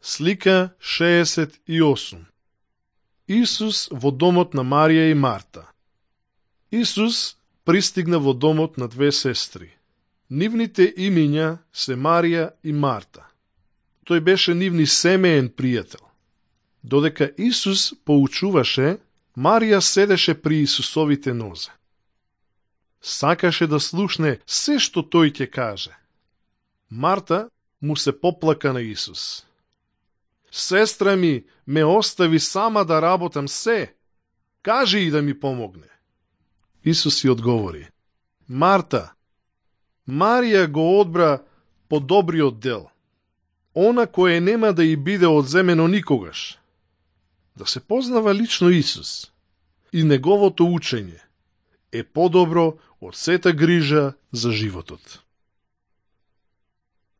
Слика 68. Исус во домот на Марија и Марта. Исус пристигна во домот на две сестри. Нивните имиња се Марија и Марта. Тој беше нивни семеен пријател. Додека Исус поучуваше, Марија седеше при Исусовите нозе. Сакаше да слушне се што тој ќе каже. Марта му се поплака на Исус. Сестра ми ме остави сама да работам се. Кажи и да ми помогне. Исус ја одговори. Марта, Марија го одбра подобриот дел. Она кое нема да и биде одземено никогаш. Да се познава лично Исус и неговото учење е подобро од сета грижа за животот.